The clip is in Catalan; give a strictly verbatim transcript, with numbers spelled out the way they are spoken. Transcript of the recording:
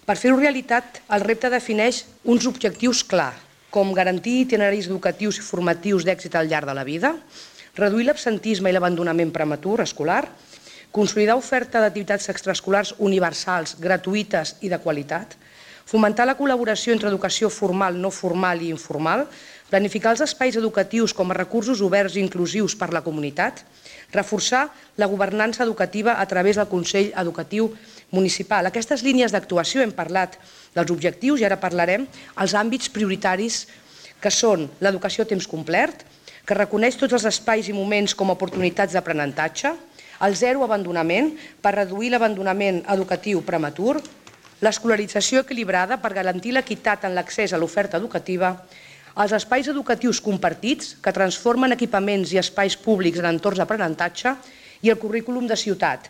Per fer-ho realitat, el repte defineix uns objectius clars, com garantir itineraris educatius i formatius d'èxit al llarg de la vida, reduir l'absentisme i l'abandonament prematur escolar, consolidar oferta d'activitats extraescolars universals, gratuïtes i de qualitat, fomentar la col·laboració entre educació formal, no formal i informal, planificar els espais educatius com a recursos oberts i inclusius per a la comunitat, reforçar la governança educativa a través del Consell Educatiu Municipal. Aquestes línies d'actuació hem parlat dels objectius i ara parlarem els àmbits prioritaris que són l'educació a temps complet, que reconeix tots els espais i moments com a oportunitats d'aprenentatge, el zero abandonament per reduir l'abandonament educatiu prematur, l'escolarització equilibrada per garantir l'equitat en l'accés a l'oferta educativa, els espais educatius compartits que transformen equipaments i espais públics en entorns d'aprenentatge i el currículum de ciutat.